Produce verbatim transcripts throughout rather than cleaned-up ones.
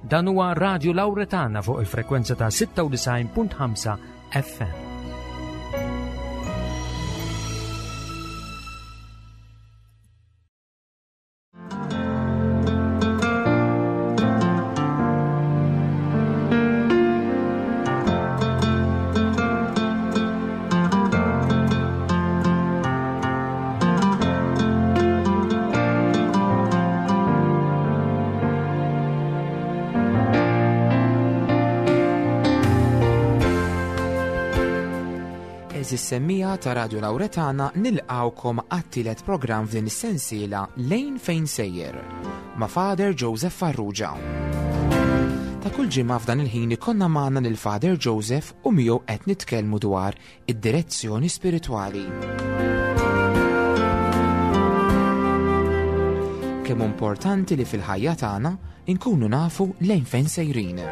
Dan huwa Radio Lauretana fuq il-frekwenza ta' sitta u disgħin punt ħamsa F M. Għeżież semmiegħa ta' Radio Lauretana, nilqgħukom għat-tielet programm f'din is-sensiela Lejn Fejn Sejjer ma' Father Joseph Farrugia. Ta' kull ġimgħa f'dan il-ħin ikollna magħna lil Father Joseph u miegħu qed nitkellmu dwar id-direzzjoni spiritwali. Kemm importanti li fil-ħajja tagħna inkunu nafu lejn fejn sejrin.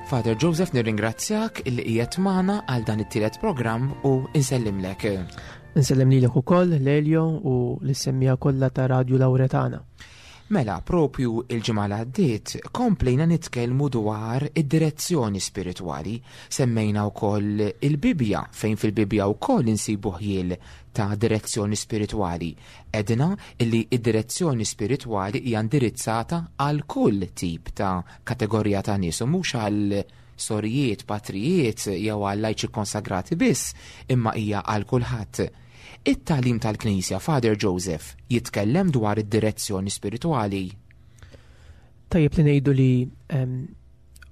Father Joseph, nirringrazzjak illi qiegħed magħna għal dan it-tielet programm u insellimlek. Insellem lilek ukoll, Lelio, u lis-semmiegħa kollha ta' Radio Lauretana. Mela, propju il-ġimgħa li għaddiet komplejna nitkellmu dwar id-direzzjoni spiritwali. Semmejna wkoll il-Bibja, fejn fil-Bibja wkoll insibu ħjiel ta' direzzjoni spiritwali. Għedna illi id-direzzjoni spiritwali hija indirizzata għal kull tip ta' kategorija ta' nies u mhux għal sorijiet, patrijiet jew għal lajċi konsagrati biss, imma hija għal kulħadd. It-tagħlim tal-Knisja, Father Joseph, jitkellem dwar id-direzzjoni spiritwali. Tajjeb li ngħidu li em,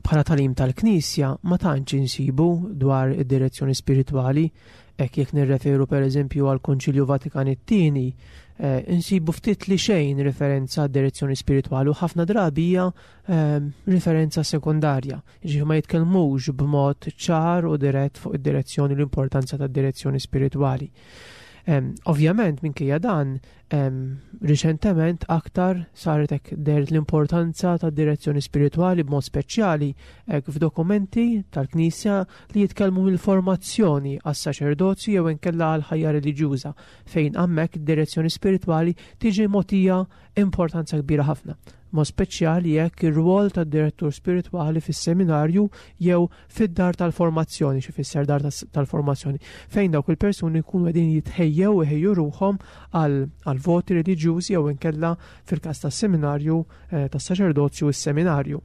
bħala tagħlim tal-Knisja ma tantx insibu dwar id-direzzjoni spiritwali, hekk jekk nirreferu pereżempju għal Konċilju Vatikan it-tieni, eh, insibu ftit li xejn referenza għad direzzjoni spiritwali u ħafna drabi hija em, referenza sekundarja. Ġifieri ma jitkellmux b'mod ċar u dirett fuq id-direzzjoni, l-importanza tad-direzzjoni spiritwali. Um, ovvjament, minkejja dan, um, riċentement aktar saret hekk dehret l-importanza ta' direzzjoni spiritwali, b'mod speċjali hekk f'dokumenti tal-Knisja li jitkellmu mill-formazzjoni għas-saċerdozju jew inkella għal ħajja reliġjuża, fejn hemmhekk id-direzzjoni spiritwali tiġi mogħtija importanza kbira ħafna. Mod speċjali jekk ir-rwol tad-direttur spiritwali fis-seminarju jew fid-dar tal-formazzjoni, xi fisser dar tal-formazzjoni, fejn dawk il-persuni jkunu qegħdin jitħejjew, iħejju ruħhom għal voti reliġjużi jew inkella fil-każ tas-seminarju eh, tas-saċerdozju s-seminarju.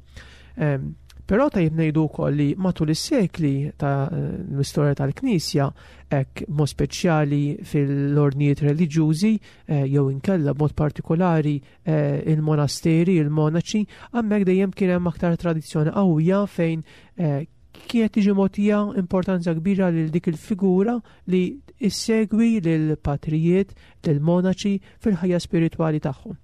Però tajjeb ngħidu wkoll li matul is-sekli ta' l-istorja tal-Knisja, hekk mod speċjali fil-ordnijiet reliġjużi eh, jew inkella b'mod partikolari eh, il-monasteri, il-monaċi, hemmhekk dejjem kien hemm aktar tradizzjoni qawwija fejn eh, kienet tiġi mogħtija importanza kbira lil dik il-figura li issegwi lil patrijiet, lil monaċi fil-ħajja spiritwali tagħhom.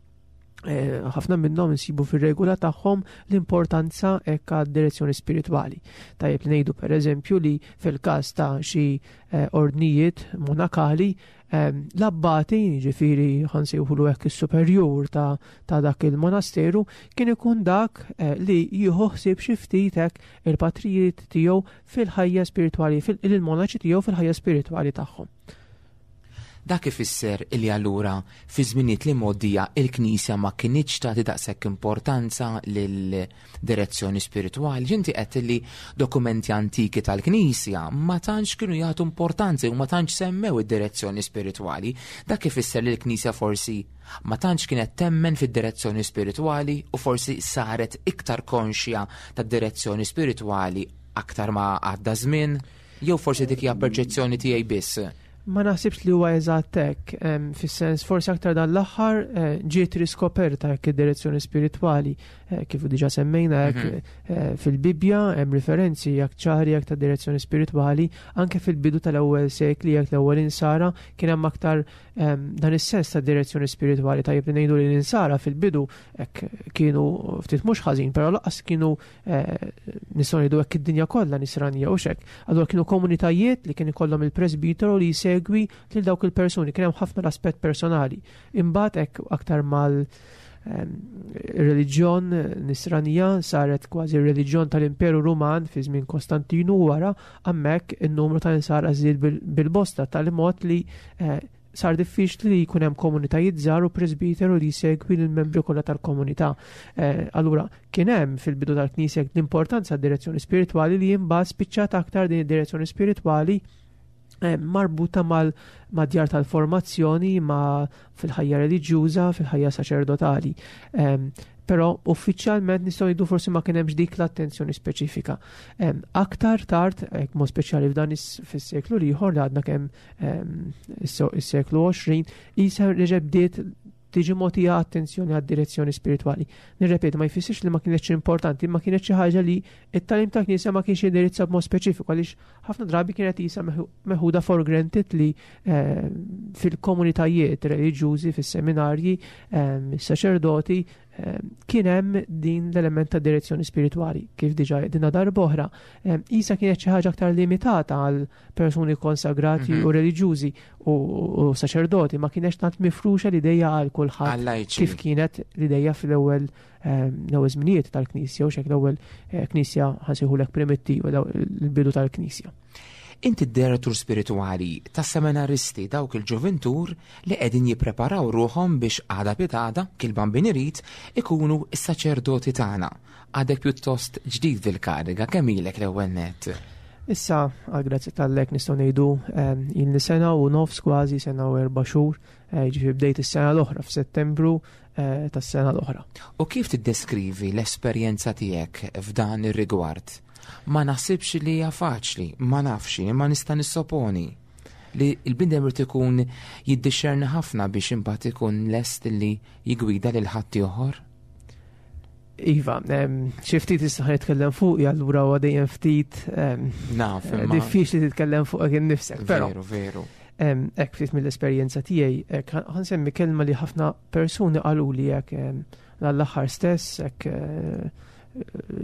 Eh, ħafna minnhom insibu fir-regola tagħhom l-importanza hekk għad-direzzjoni spiritwali. Tajjeb li ngħidu, pereżempju, li fil-każ ta' xi eh, ordnijiet monakali, eh, l-abbati, ġifieri ħa nsejħulu hekk is-superjur ta', ta dak il-monasteru, kien ikun dak li jieħu ħsieb xi ftit hekk il-patrijiet tiegħu fil-ħajja spiritwali, il-monaċi tiegħu fil-ħajja spiritwali tagħhom. Dak ifisser illi allura fi żminijiet li mgħoddija il-Knisja ma kinitx tagħti daqshekk importanza lil direzzjoni spiritwali. Ġinti qed li dokumenti antiki tal-Knisja ma tantx kienu jagħtu importanza u ma tantx semmew id-direzzjoni spiritwali. Dak ifisser li l-Knisja forsi ma tantx kienet temmen fid-direzzjoni spiritwali u forsi saret iktar konxja tad-direzzjoni spiritwali aktar ma għadda żmien, jew forsi dik hija perċezzjoni tiegħi biss? Ma naħsibx li huwa eżatt hekk, fis-sens forsi aktar dan l-aħħar eh, ġiet riskoperta hekk id-direzzjoni spiritwali, eh, kif diġà semmejna hekk mhm. eh, fil-Bibja hemm referenzi jak ċari hekk ta' direzzjoni spiritwali, anke fil-bidu tal-ewwel sekli jekk l-ewwel insara kien hemm aktar dan is-sens ta' direzzjoni spiritwali. Tajjeb li ngħidu li l-insara fil-bidu hekk kienu ftit mhux ħażin, però lanqas kienu, nistgħu ngħidu hekk, id-dinja kollha nisranija u xek. Allura kienu komunitajiet li kien ikollhom il-presbiteru li jsegwi lil dawk il-persuni, kien hemm ħafna l-aspett personali. Imbagħad hekk aktar mal reliġjon nisranija saret kważi reliġjon tal-Imperu Ruman fi żmien Kostantinu wara, hemmhekk in-numru ta' insara żdied bil-bosta tal-mod li eh, Sar diffiċli li jkun hemm komunitajiet żgħar u presbiteru li jsegwi lill-membri kollha tal-komunità. Eh, allura kien hemm fil-bidu tal-Knisja l-importanza d-direzzjoni spiritwali li imbagħad spiċċat aktar din id-direzzjoni spiritwali eh, marbuta mal-djar tal-formazzjoni ma fil-ħajja reliġjuża, fil-ħajja saċerdotali. Però uffiċjalment nistgħu ngħidu forsi ma kien hemmx dik l-attenzjoni speċifika. Aktar tard, mod speċjali f'dan fis-seklu l-ieħor li għadna kemm is-seklu għoxrin, isa reġa' bdiet tiġi mogħtija attenzjoni għad-direzzjoni spiritwali. Nirrepeti, ma jfissirx li ma kienx importanti, ma kienet xi ħaġa li it-tagħlim ta' Knisja ma kienx indirizza b'mod speċifiku, għaliex ħafna drabi kienet isa meħuda for granted li eh, fil-komunitajiet reliġjużi, fis-seminarji, is-saċerdoti, kien hemm din l-element ta' direzzjoni spiritwali, kif diġà dinna darb'oħra. Isa kienet xi ħaġa aktar limitata għal persuni konsagrati mm -hmm. u reliġjużi u, u saċerdoti, ma kienx tant mifruxa l-idea għal kulħadd kif kienet l-idea fl-ewwel l-ewwel żminijiet tal-Knisja u xek l-ewwel eh, Knisja ħa nsejħulek primittiva, l-bidu tal-Knisja. Inti d-direttur spiritwali tas seminaristi, dawk il-ġuventur li qegħdin jippreparaw ruħhom biex għada pitgħada, kil-Bambin irid, ikunu s-saċerdoti tagħna. Għadek pjuttost ġdid fil-kariga, kemm ilek l-ewwel net? Issa, għal grazzja t'Alla nistgħu ngħidu ilni sena u nofs kważi, sena u erba' xhur, eh, ġifieri bdejt is-sena l-oħra f'Settembru eh, tas-sena l-oħra. U kif tiddeskrivi l-esperjenza tiegħek f'dan ir-rigward? Ma naħsibx li hija faċli, ma nafx, ma nista' nissoponi li l-bniedem irid ikun jiddixxerni ħafna biex imbagħad ikun lest li jigwida lil ħadd ieħor. Iva, xi ftit issa ħa nitkellem fuq, allura huwa dejjem ftit Naf, diffiċli titkellem fuq innifsek. Però Veru, veru. Hekk ftit mill-esperjenza tiegħi, hekk ħa nsemmi kelma li ħafna persuni qaluli hekk l-aħħar stess, hekk eh,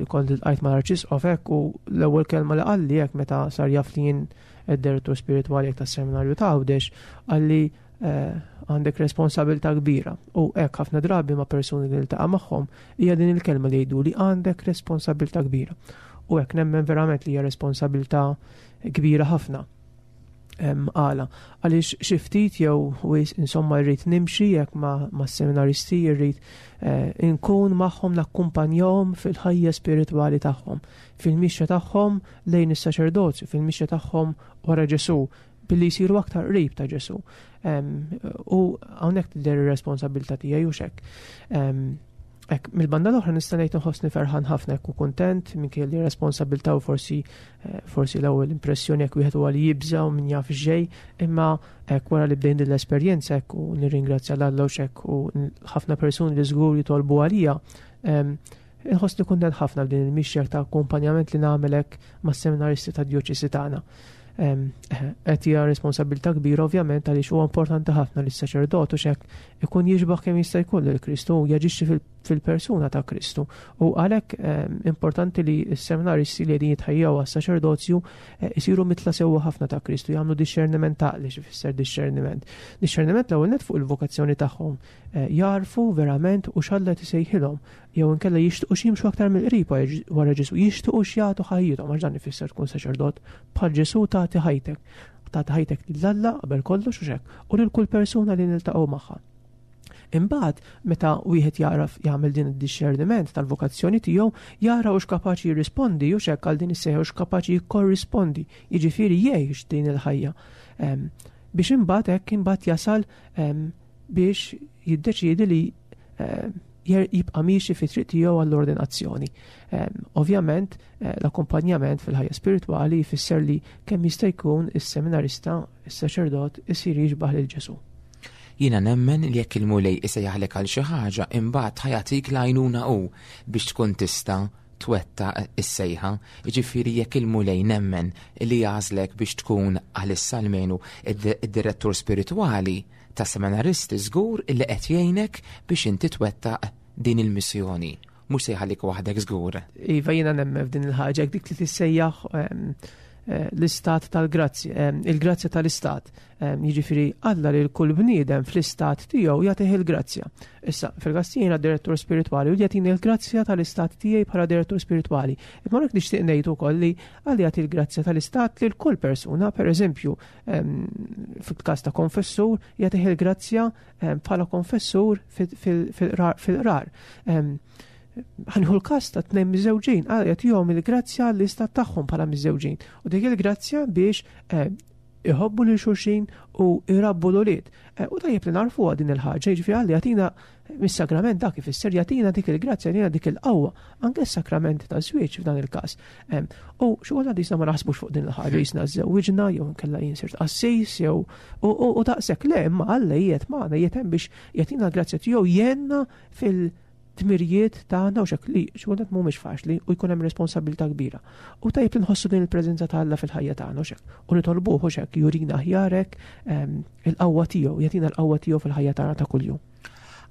kont iltqajt ma' l-Arċisqof hekk, u l-ewwel kelma li qalli hekk meta sar jaf li jien id-direttur spiritwali hekk tas-seminarju ta' Għawdex, qalli eh, għandek responsabilità kbira. U hekk ħafna drabi ma' persuni li ltaqa' magħhom hija din il-kelma li jgħidu li għandek responsabilità kbira. U hekk nemmen verament li hija responsabilità kbira ħafna. Għala, għaliex xi ftit jew wisq insomma rrid nimxi jekk ma, ma seminaristi, rrid eh, inkun magħhom, nakkumpanjahom fil-ħajja spiritwali tagħhom, fil-mixja tagħhom lejn is-saċerdozju, fil-mixja tagħhom wara Ġesu, billi jsiru aktar qrib ta' Ġesu. U hawnhekk tidher ir-responsabilità tiegħi u xek. Ek, mill-banda l-oħra nista' ngħid nħossni ferħan ħafna u kuntent minkejja li responsabilità u forsi eh, forsi l-ewwel impressjoni jekk wieħed huwa li jibża u min jaf xejn, imma hekk wara li bdejn din l-esperjenza hekk u nirringrazzja 'l Alla u xek u ħafna persuni li żgur jitolbu għalija, inħossni kuntent ħafna b'din il-mixja ta' akkumpanjament li nagħmel hekk mas-seminaristi ta' djoċesi tagħna. Qed hija responsabilità kbira ovvjament, għaliex huwa importanti ħafna li s-saċerdot u xek ikun jixbaħ kemm jista' jkun lil Kristu u jaġixxi fil-persuna ta' Kristu. U għalhekk importanti li s-seminaristi li qegħdin jitħejjew għas-saċerdozju eh, isiru mitla sewwa ħafna ta' Kristu, jagħmlu dixxerniment ta' li x'ifisser dixxerniment. Dixxerniment l-ewwel net fuq il-vokazzjoni tagħhom, eh, jarfu verament u x'Alla tisejħilhom jew inkella jixtiequ jimxu aktar mill-qrib wara Ġesu, jixtiequ jagħtu ħajjithom, għax dan ifisser tkun saċerdot, bħal Ġesu tagħti ħajtek, tagħti ħajtek lil Alla qabel kollox u xek, u lil kull persuna li niltaqgħu magħha. Imbagħad meta wieħed jaraf jagħmel din id-dixxerniment tal-vokazzjoni tiegħu, jara hux kapaċi jirrispondi u xek għal din is-sejħa, hux kapaċi jikkorrispondi, jiġifieri jgħix din il-ħajja. Biex imbagħad hekk imbagħad jasal biex jiddeċiedi li jibqa' miexi fi triq tiegħu għall-ordinazzjoni. Ovvjament, eh, l-akkompanjament fil-ħajja spiritwali jfisser li kemm jista' jkun is-seminarista, is-saċerdot isir jixbaħ lil Ġesu. Jiena nemmen li jekk il-Mulej isejjaħlek għal xi ħaġa, imbagħad ħa jagħtik l-għajnuna u biex tkun tista' twettaq is-sejħa. Jiġifieri jekk il-Mulej nemmen li jagħżlek biex tkun għalissa almenu id-direttur spiritwali ta' seminaristi, żgur illi qed jgħinek biex inti twettaq din il-missjoni. Mhux se jħallik waħdek żgur. Iva, jiena nemmen f'din il-ħaġa, dik li tissejjaħ l-istat tal-grazzja, il-grazzja tal-istat. Jiġifieri Alla lil kull bniedem fl-istat tiegħu jagħtih il-grazzja. Issa, fil-każ jiena direttur spiritwali u jagħtini l-grazzja tal-istat tiegħi bħala direttur spiritwali. Imma hekk nixtieq ngħid ukoll li Alla jagħti l-grazzja tal-istat lil kull persuna, pereżempju, fil-każ ta' konfessur jagħtih il-grazzja bħala konfessur fil-qrar. Ħanħu l-każ ta' tnejn miżewġin, Alla jagħtihom il-grazzja l-istat tagħhom bħala miżewġin. U dik il-grazzja biex iħobbu lil xulxin u jrabbu l-ulied. U tajjeb li narfuha din il-ħaġa, jiġifieri Alla jagħtina mis-sagrament dak ifisser jagħtina dik il-grazzja, jagħtina dik il-qawwa, anke s-sagrament ta' żwieġ f'dan il-każ. U xi kultant jisna ma naħsbux fuq din il-ħaġa, jisna żewwiġna jew inkella jien sirt qassis jew u daqshekk le, imma Alla qiegħed magħna, qiegħed hemm biex jagħtina l-grazzja tiegħu jgħinna fil- tmirijiet tagħna u xek li xi kultant mhumiex faċli u jkun hemm responsabilità kbira. U tajjeb li nħossu din il-preżenza ta' Alla fil-ħajja tagħna u xek. U nitolbuh u xek jurina aħjarek il-qawwa tiegħu, jagħtina l-qawwa tiegħu fil-ħajja tagħna ta' kuljum.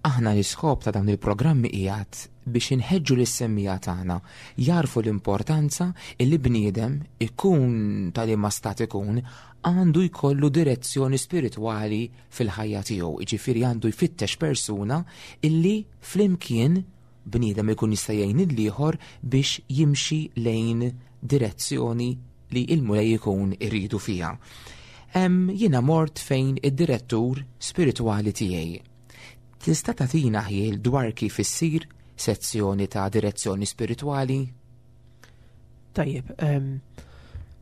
Aħna l-iskop ta' dawn il-programmi qiegħed biex inħeġġu lis-semmija tagħna jarfu l-importanza li bniedem ikun tal-imma stat ikun għandu jkollu direzzjoni spiritwali fil-ħajja tiegħu, jiġifieri għandu jfittex persuna illi flimkien bniedem ikun jista' jgħin lill-ieħor biex jimxi lejn direzzjoni li l-Mulej ikun iridu fiha. Jiena mort fejn id-direttur spiritwali tiegħi. Tista' tagħtina ħjiel dwar kif issir sezzjoni ta' direzzjoni spiritwali? Tajjeb,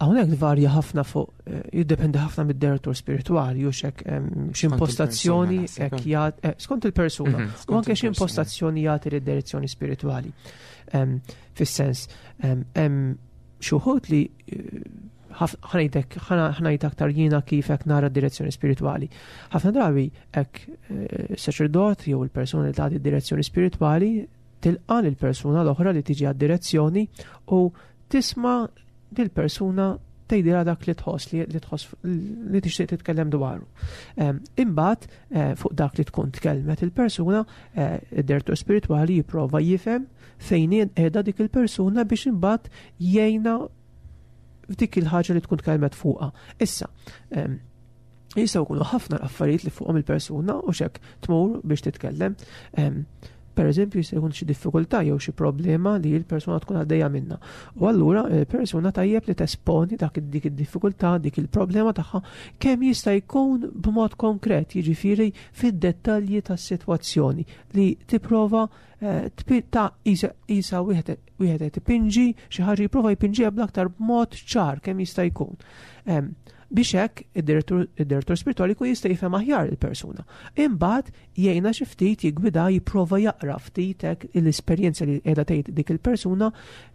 hawnhekk varja ħafna fuq, jiddependi ħafna mid-direttur spiritwali u xek x'impostazzjoni hekk jagħti skont il-persuna u anke x'impostazzjoni jagħti lid-direzzjoni spiritwali. Fis-sens hemm xi wħud li ħanajdek ħanajd aktar jiena kif hekk nara d-direzzjoni spiritwali. Ħafna drabi hekk saċerdot jew il-persuna li tagħti d-direzzjoni spiritwali tilqa' lill-persuna l-oħra li tiġi għad-direzzjoni u tisma' dil-persuna tgħidilha dak li tħoss li tħoss li tixtieq titkellem dwaru. Imbagħad fuq dak li tkun tkellmet il-persuna, id-direttur spiritwali jipprova jifhem fejn qiegħda dik il-persuna biex imbagħad jgħinha f'dik il-ħaġa li tkun tkellmet fuqha. Issa, jistgħu jkunu ħafna l-affarijiet li fuqhom il-persuna u xek tmur biex titkellem. Per eżempju, jista' jkun xi diffikultà jew xi problema li l-persuna tkun għaddejja minnha. U allura il-persuna tajjeb li tesponi dak dik id-diffikultà, dik il-problema tagħha kemm jista' jkun b'mod konkret, jiġifieri fid-dettalji tas-sitwazzjoni li tipprova ta' isa wieħed qed ipinġi xi ħaġa jipprova jpinġiha bl-aktar b'mod ċar kemm jista' jkun. Biex hekk id-direttur spiritwali jkun jista' jifhem aħjar il-persuna. Imbagħad jgħinha xi ftit jiggwida jipprova jaqra ftit hekk l-esperjenza li qiegħda tgħid dik il-persuna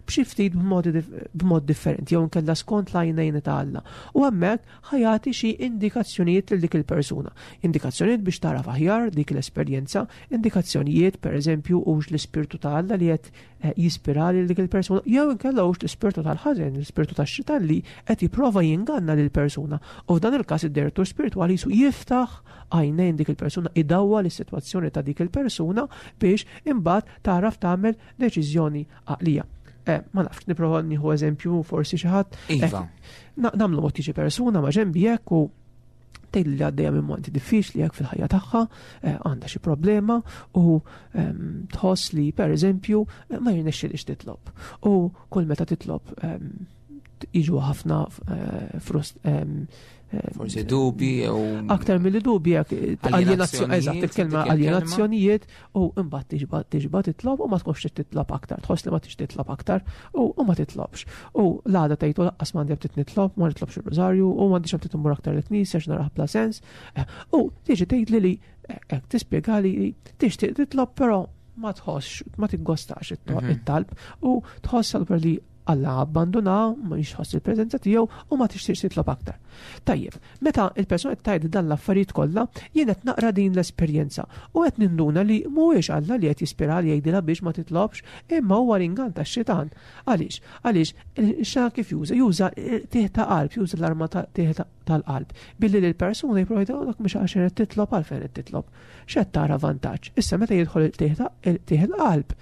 b'xi ftit b'mod differenti jew inkella skont l-għajnejn ta' Alla. U hemmhekk ħajati xi indikazzjonijiet lil dik il-persuna. Indikazzjonijiet biex taraf aħjar dik l-esperjenza, indikazzjonijiet pereżempju hux l-ispirtu ta' Alla li qed jispira lil dik il-persuna, jew inkella hux l-ispirtu tal-ħażen, l-ispirtu tax-xitan li qed jipprova jinganna lil persuna. U f'dan il-każ id-direttur spiritwali jisu jiftaħ għajnejn dik il-persuna, idawwa l-sitwazzjoni ta' dik il-persuna biex imbagħad taraf tagħmel deċiżjoni għaqlija. Eh, ma nafx, nipprova nieħu eżempju forsi xi ħadd. Iva. Nagħmlu mod tiġi persuna ma' ġenbi hekk u tgħid li għaddejja minn momenti diffiċli hekk fil-ħajja tagħha, għandha xi problema u tħoss li pereżempju ma jirnexxilix titlob. U kull meta titlob jiġu ħafna frust forsi dubi jew aktar milli dubi hekk aljenazzjoni, eżatt il-kelma aljenazzjonijiet, u imbagħad tiġba tiġba titlob u ma tkunx titlob aktar, tħoss li ma tix titlob aktar u ma titlobx. U l-għada tgħidu laqqas m'għandi ftit nitlob, ma nitlobx ir-rużarju u m'għandix ftit immur aktar l-knisja għax naraħ bla sens. U tiġi tgħidli li hekk tispjegali li tixtieq titlob però ma tħossx, ma tiggostax it-talb u tħoss allura li Alla abbandona, ma jħoss il-preżenza tiegħu u ma tixtieqx titlob aktar. Tajjeb, meta il-persuna qed tgħid dan l-affarijiet kollha, jien qed naqra din l-esperjenza u qed ninduna li mhuwiex Alla li qed jispira li jgħidilha biex ma titlobx, imma huwa l-ingann tax-xitan. Għaliex? Għaliex il-xitan kif juża? Juża tieħ ta' qalb, juża l-arma tieħ tal-qalb. Billi lill-persuna jipprova jgħidilha dak mhux għax qed titlob għalfejn qed titlob. X'qed tara vantaġġ? Issa meta jidħol tieħ il-qalb,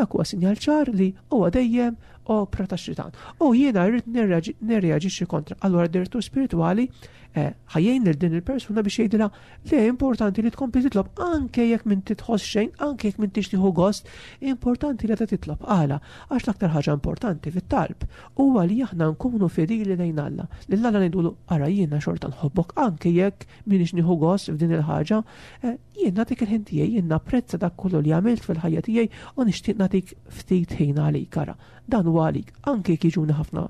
dak huwa sinjal ċar li huwa dejjem opra ta' xitan. U jiena rrid nirreaġixxi kontra. Allura d-direttur spiritwali ħa jgħin lil din il-persuna biex jgħidilha li importanti li tkompli titlob anke jekk m'inti tħoss xejn, anke jekk m'intix tieħu gost, importanti li ta' titlob. Għala, għax l-aktar ħaġa importanti fit-talb huwa li aħna nkunu fedili lejn Alla. Lil Alla ngħidulu ara jiena xorta nħobbok anke jekk m'iniex nieħu gost f'din il-ħaġa, jien nagħtik il-ħin tiegħi, jien napprezza dak kollu li għamilt fil-ħajja tiegħi u nixtieq nagħtik ftit ħin għalik ara. Dan huwa għalik, anke jekk jiġuni ħafna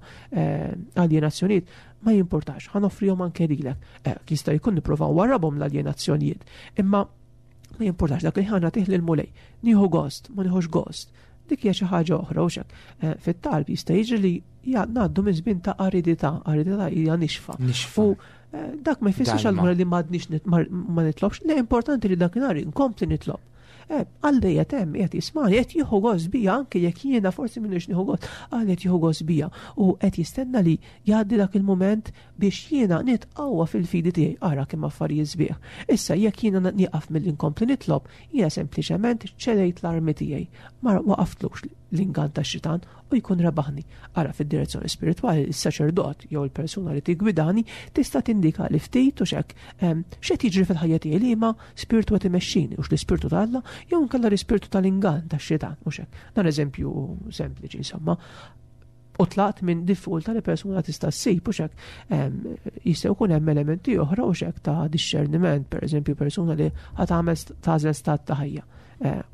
aljenazzjonijiet, ma jimportax, ħa noffrihom anke lilek. Jista' jkun nipprovaw warrabhom l-aljenazzjonijiet, imma ma jimportax dak li ħa nagħtih lill-Mulej. Nieħu gost, ma nieħux gost. Dik hija xi ħaġa oħra u xek. Fit-talb jista' jiġri li ngħaddu minn żmien ta' aridità, aridità hija nixfa. Nixfa. U dak ma jfissirx allura li m'għadniex ma nitlobx, le importanti li dakinhar inkompli nitlob. Għalli qed hemm qed jismani, qed jieħu gost bija anke jekk jiena forsi m'iniex nieħu gost, għalli qed jieħu gost bija u qed jistenna li jgħaddi dak il-mument biex jiena nitqawwa fil-fidi tiegħi, ara kemm affarijiet sbieħ. Issa jekk jiena nieqaf milli nkompli nitlob, jiena sempliċement ċedejt l-armi tiegħi, ma waqaftlux l-ingann tax-xitan u jkun rebaħni. Ara fid-direzzjoni spiritwali is-saċerdot jew il-persuna li tigwidani tista' tindika li ftit u xek x'qed jiġri fil-ħajja tiegħi li ma spiritu qed imexxini, hux l-ispirtu ta' Alla jew inkella l-ispirtu tal-ingann tax-xitan u xek. Dan eżempju sempliċi insomma. U tlaqt minn diffikultà li persuna tista' ssib u xek jista' jkun hemm elementi oħra u xek ta' discerniment, pereżempju persuna li ħa tagħmel tagħżel stat ta' ħajja.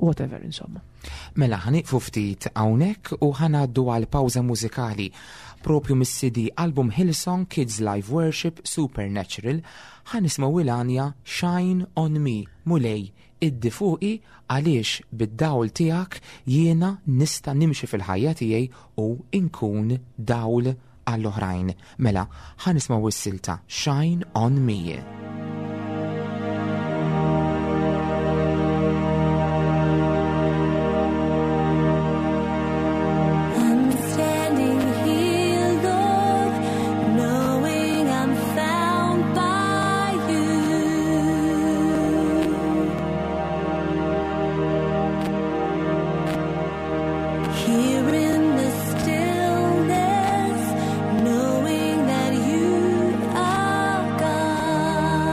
Whatever, insomma. Mela, ħa nieqfu ftit hawnhekk u ħa ngħaddu għal pawża mużikali propju mis-C D album Hillsong Kids Live Worship Supernatural. Ħa nismgħu il-għanja Shine on Me, Mulej, iddi fuqi għaliex bid-dawl tiegħek jiena nista' nimxi fil-ħajja tiegħi u nkun dawl għall-oħrajn. Mela, ħa nismgħu s-silta Shine on Me. Knowing that you are God.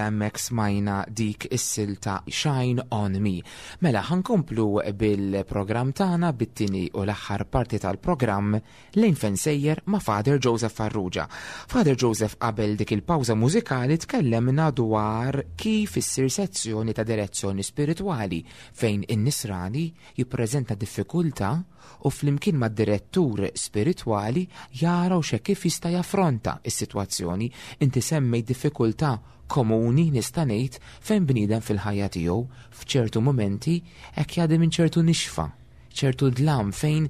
Mela hemmhekk smajna dik is-silta Shine On Me. Mela ħa nkomplu bil-programm tagħna, bit-tieni u l-aħħar parti tal-programm Lejn Fejn Sejjer ma' Father Joseph Farrugia. Father Joseph, qabel dik il-pawża mużikali tkellemna dwar kif issir sezzjoni ta' direzzjoni spiritwali, fejn in-nisrani jippreżenta diffikultà u flimkien mad-direttur spiritwali jaraw xe kif jista' jaffronta is-sitwazzjoni. Inti semmej diffikultà komuni, nista' ngħid, fejn bniedem fil-ħajja tiegħu f'ċertu momenti hekk jgħaddi minn ċertu nixfa, ċertu dlam fejn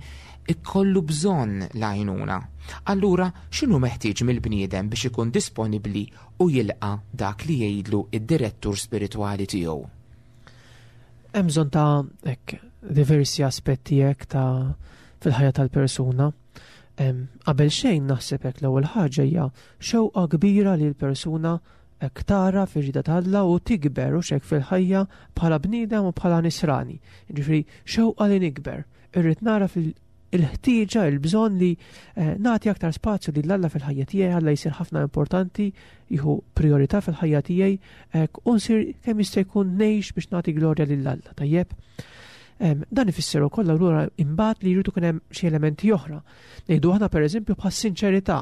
ikollu bżonn l-għajnuna. Allura, x'inhu meħtieġ mill-bniedem biex ikun disponibbli u jilqa' dak li jgħidlu id-direttur spiritwali tiegħu? Hemm bżonn ta' hekk diversi aspetti hekk ta' fil-ħajja tal-persuna. Qabel xejn, naħseb hekk l-ewwel ħaġa hija xewqa kbira li l-persuna hekk tara fir-rieda t'Alla u tikber u xek fil-ħajja bħala bniedem u bħala nisrani. Ġifieri xewqa li nikber. Irrid nara fil il-ħtieġa, il-bżonn li eh, nagħti aktar spazju lil Alla fil-ħajja tiegħi, Alla jsir ħafna importanti, jieħu priorità fil-ħajja tiegħi, u nsir kemm jista' jkun ngħix biex nagħti glorja lil Alla, tajjeb? Dan ifisser ukoll allura imbagħad li jridu kien hemm xi elementi oħra. Ngħidu aħna, pereżempju, bħas sinċerità.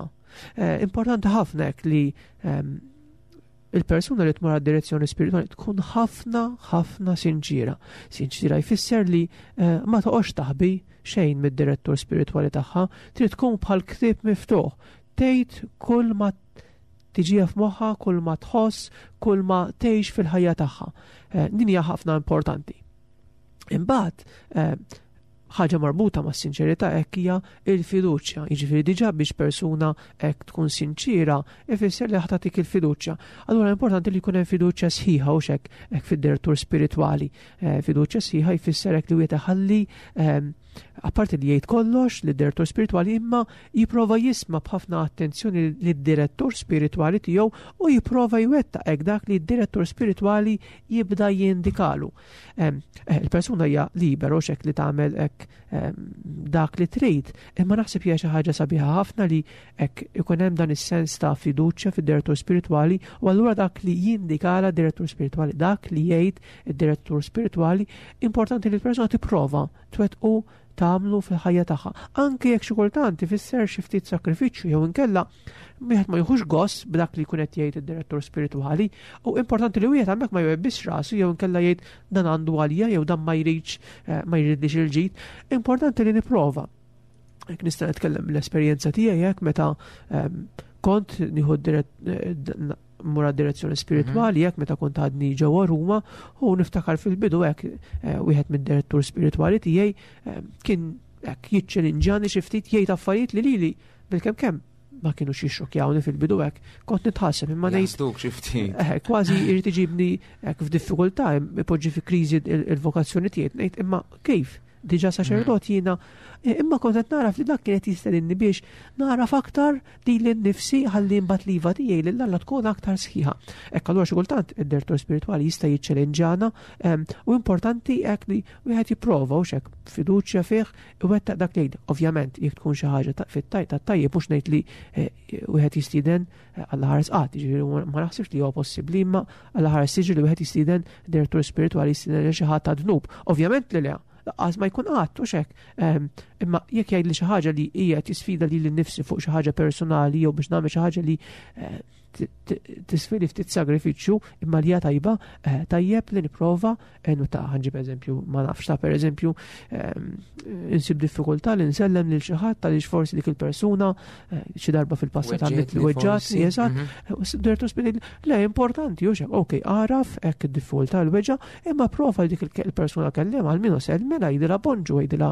Eh, importanti ħafna hekk li il-persuna li tmur direzzjoni spiritwali tkun ħafna ħafna sinċira. Sinċira jfisser li eh, ma toqgħodx taħbi xejn mid-direttur spiritwali tagħha, trid tkun bħal ktieb miftuħ. Tgħid kull ma tiġiha f'moħħa, kull ma tħoss, kull ma tgħix fil-ħajja tagħha. Eh, din hija ħafna importanti. Imbagħad eh, ħaġa marbuta ma' sinċerità hekk hija il-fiduċja. Jiġifieri diġà biex persuna hekk tkun sinċira, ifisser li ħa tagħtik il-fiduċja. Allura importanti li jkun hemm fiduċja sħiħa u xek hekk fid-direttur spiritwali. Eh, fiduċja sħiħa jfisser hekk li wieħed iħalli, ehm, apparti li jgħid kollox lid-direttur spiritwali, imma jipprova jisma' b'ħafna attenzjoni lid-direttur spiritwali tiegħu u jipprova jwettaq hekk dak li d-direttur spiritwali jibda jindikalu. Ehm, eh, il-persuna hija liberu xek li tagħmel hekk ehm, dak li trid, imma naħseb hija xi ħaġa sabiħa ħafna li hekk ikun hemm dan is-sens ta' fiduċja fid-direttur spiritwali u allura dak li jindikala d-direttur spiritwali, dak li jgħid id-direttur spiritwali, importanti li l-persuna tipprova twettqu, tagħmlu fil-ħajja tagħha. Anke jekk xi kultant ifisser xi ftit sakrifiċċju jew inkella wieħed ma jieħux gost b'dak li jkun qed jgħid id-direttur spiritwali, u importanti li wieħed hemmhekk ma jwebbisx rasu jew inkella jgħid dan għandu għalija jew dan ma jridx eh, ma jridlix il-ġid. Importanti li nipprova. Hekk nista' nitkellem l-esperjenza tiegħi hekk meta ehm, kont nieħu eh, mura direzzjoni spiritwali hekk meta kont għadni ġewwa Ruma, u niftakar fil-bidu hekk eh, wieħed mid-direttur spiritwali tiegħi eh, kien hekk jiċċelinġani xi ftit, jgħid affarijiet li lili bil-kemm kemm ma kienu xixxokjawni fil-bidu, hekk kont nitħasseb imma ngħid Jaħsduk xi ftit. Eh, kważi jrid iġibni hekk f'diffikultà, ipoġġi fi kriżi il-vokazzjoni tiegħi, ngħid imma kif? Diġà saċerdot jiena, eh, imma kont qed naraf li dak kienet jistedinni biex naraf aktar lili nnifsi ħalli mbagħad l-iva tiegħi lil Alla tkun aktar sħiħa. Hekk allura xi kultant id-direttur spiritwali jista' jiċċelenġana u importanti hekk li wieħed jipprova u xek fiduċja fih iwettaq dak li jgħid. Ovvjament jekk tkun xi ħaġa fit-tajt tat-tajjeb, mhux ngħid li eh, wieħed jistieden eh, Alla ħares qatt, jiġifieri ma naħsibx li huwa possibbli, imma Alla ħares tiġi li wieħed jistieden, direttur spiritwali jistieden lil xi ħadd ta' dnub. Ovvjament li le, lanqas ma jkun qatt u xek. Imma jekk jgħid li xi ħaġa li hija tisfida lili nnifsi fuq xi ħaġa personali jew biex nagħmel xi ħaġa li eh, tiswili ftit sagrifiċċju imma li hija tajba, eh, tajjeb li nipprova eh, ta' ħa nġib eżempju, ma nafx, ta' per eżempju insib diffikultà li nsellem lil xi ħadd għaliex forsi dik il-persuna xi darba fil-passat għamlet li weġġatni, eżatt. Mhm. Direttur spiritwali, le, importanti, u xek, ok, għaraf hekk id-diffikultà, l-weġġa, imma prova dik il-persuna kellem, għalmenu sellmilha, għidilha bonġu, għidilha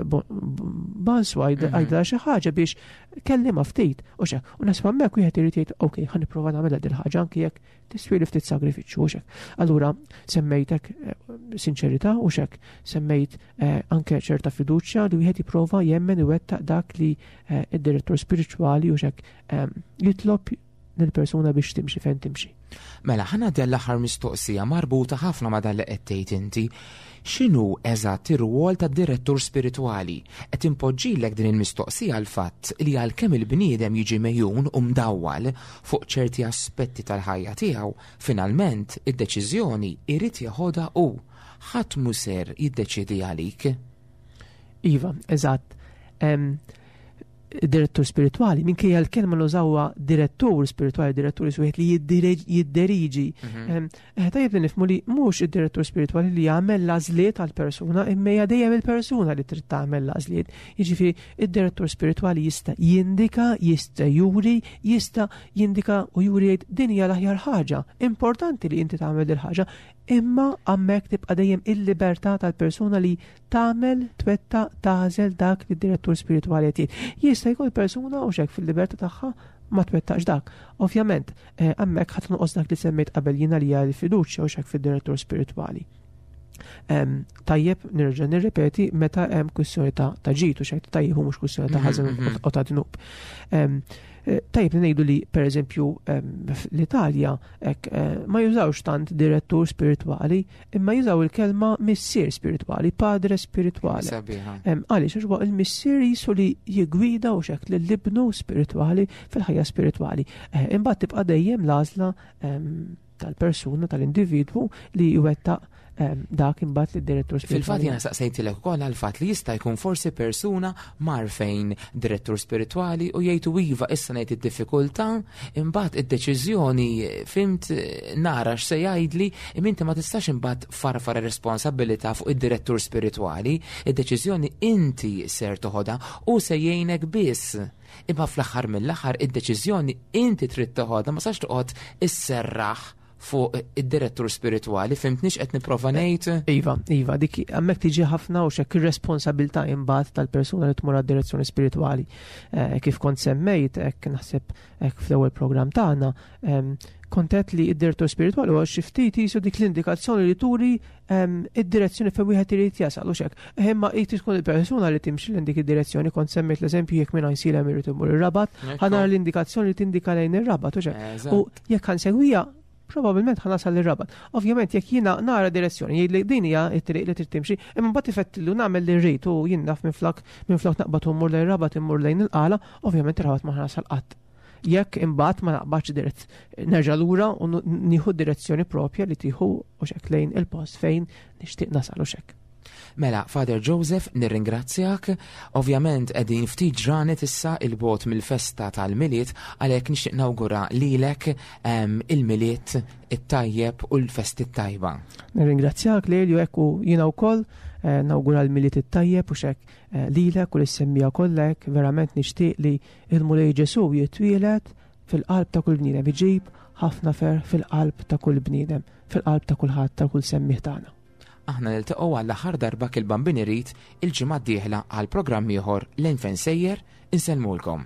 bonswa, mhm. għidilha xi ħaġa biex kellima ftit, u xek, u naħseb hemmhekk wieħed irid jgħid, ok, ħa nipprova nagħmilha dil ħaġa anki jekk tiswili ftit sagrifiċċju u xek. Allura semmejtek eh, sinċerità u xek, semmejt eh, anke ċerta fiduċja li wieħed jipprova jemmen iwettaq dak li eh, id-direttur spiritwali u xek jitlob lill-persuna biex timxi fejn timxi. Mela, ħa ngħaddi l-aħħar mistoqsija marbuta ħafna ma' dan li qed tgħid inti. X'inhu eżatt ir-rwol tad-direttur spiritwali? Qed inpoġġilek din il-mistoqsija l-fatt li għalkemm il-bniedem jiġi megħjun u mdawwal fuq ċerti aspetti tal-ħajja tiegħu, finalment id-deċiżjoni irid jeħodha hu. Ħadd mhu ser jiddeċiedi għalik. Iva, eżatt. Em, Direttur spiritwali, minkejja l-kelma nużawha direttur spiritwali, direttur wieħed li jiddireġ- jidderiġi. Em, eh, Tajjeb li nifhmu li mhux id-direttur spiritwali li jagħmel l-għażliet għall-persuna, imma hija dejjem il-persuna li trid tagħmel l-għażliet. Jiġifieri id-direttur spiritwali jista' jindika, jista' juri, jista' jindika u juri jgħid din hija l-aħjar ħaġa. Importanti li inti tagħmel il-ħaġa, imma hemmhekk tibqa' dejjem il-libertà tal-persuna li tagħmel, twettaq, tagħżel dak li d-direttur spiritwali qed jgħid. Jista' jkun persuna u xek fil-libertà tagħha ma twettaqx dak. Ovvjament, eh, hemmhekk ħadd nqos dak li semmejt qabel jiena li hija l-fiduċja u xek fid-direttur spiritwali. Em, Tajjeb nerġa' nirrepeti meta hemm kwistjoni ta' ta' ġid u xek tajjeb u mhux kwistjoni ta' ħażen Mhm, mhm. u ta' dnub. Em, eh, Tajjeb li ngħidu li pereżempju em, fl-Italja hekk eh, ma jużawx tant direttur spiritwali, imma jużaw il-kelma missier spiritwali, padre spiritwali. Sabiħa. Em, Għaliex għax huwa il-missier jisu li jigwida u xek lill-ibnu spiritwali fil-ħajja spiritwali. Eh, Imbagħad tibqa' dejjem l-għażla em, tal-persuna, tal-individwu li jwettaq em, dak imbagħad li d-direttur Fil-fatt spiritwali. jiena saqsejtilek ukoll għal-fatt li jista' jkun forsi persuna mar fejn direttur spiritwali u jgħidu iva issa ngħid id-diffikultà, imbagħad id-deċiżjoni fhimt nara x'se jgħidli, imma inti ma tistax imbagħad farfar ir-responsabilità fuq id-direttur spiritwali, id-deċiżjoni inti ser toħodha u se jgħinek biss. Imma fl-aħħar mill-aħħar id-deċiżjoni inti trid toħodha, ma sax toqgħod isserraħ fuq id-direttur spiritwali, fhimtnix qed nipprova ngħid? Iva, iva, dik hemmhekk tiġi ħafna u xek ir-responsabilità imbagħad tal-persuna li tmur għad-direzzjoni spiritwali. Eh, kif kont semmejt, hekk naħseb hekk fl-ewwel programm tagħna, em, kontet li id-direttur spiritwali huwa xi ftit jisu dik l-indikazzjoni li turi em, id-direzzjoni fejn wieħed irid jasal u xek. Imma jrid tkun il-persuna li timxi lejn dik id-direzzjoni, kont semmejt l-eżempju jekk minn Għajnsielem irid imur ir-Rabat, ħa nara l-indikazzjoni li tindika lejn ir-Rabat u xek. U jekk ħa nsegwiha, probabilment ħa nasal ir-Rabat. Ovvjament jekk jiena nara direzzjoni, jgħid li din hija t-triq li trid timxi, imma mbagħad ifettillu nagħmel li rrid u jien naf minflok minflok naqbad u mmur lejn ir-Rabat immur lejn il-Qala, ovvjament ir-Rabat ma nasal qatt. Jekk imbagħad ma naqbadx dirett nerġa' lura u nieħu direzzjoni propja li tieħu u xek lejn il-post fejn nixtieq nasal u xek. Mela, Father Joseph, nirringrazzjak. Ovvjament qegħdin ftit ġranet issa 'il bogħod mill-festa tal-Milied, għalhekk nixtieq nawgura lilek em, il-Milied it-tajjeb u l-festi tajba. Nirringrazzjak lil hekk u jiena wkoll eh, nawgura l-Milied it-tajjeb u xek eh, lilek u lis-semmiegħa kollek verament nixtieq li il-Mulej Ġesu jitwieled fil-qalb ta' kull bniedem, iġib ħafna ferħ fil-qalb ta' kull bniedem, fil-qalb ta' kulħadd ta' kull semmiegħ tagħna. Aħna niltaqgħu għall-aħħar darba kil-Bambin irid il-ġimgħa d-dieħla għal programm ieħor Lejn Fejn Sejjer, insellmulkom.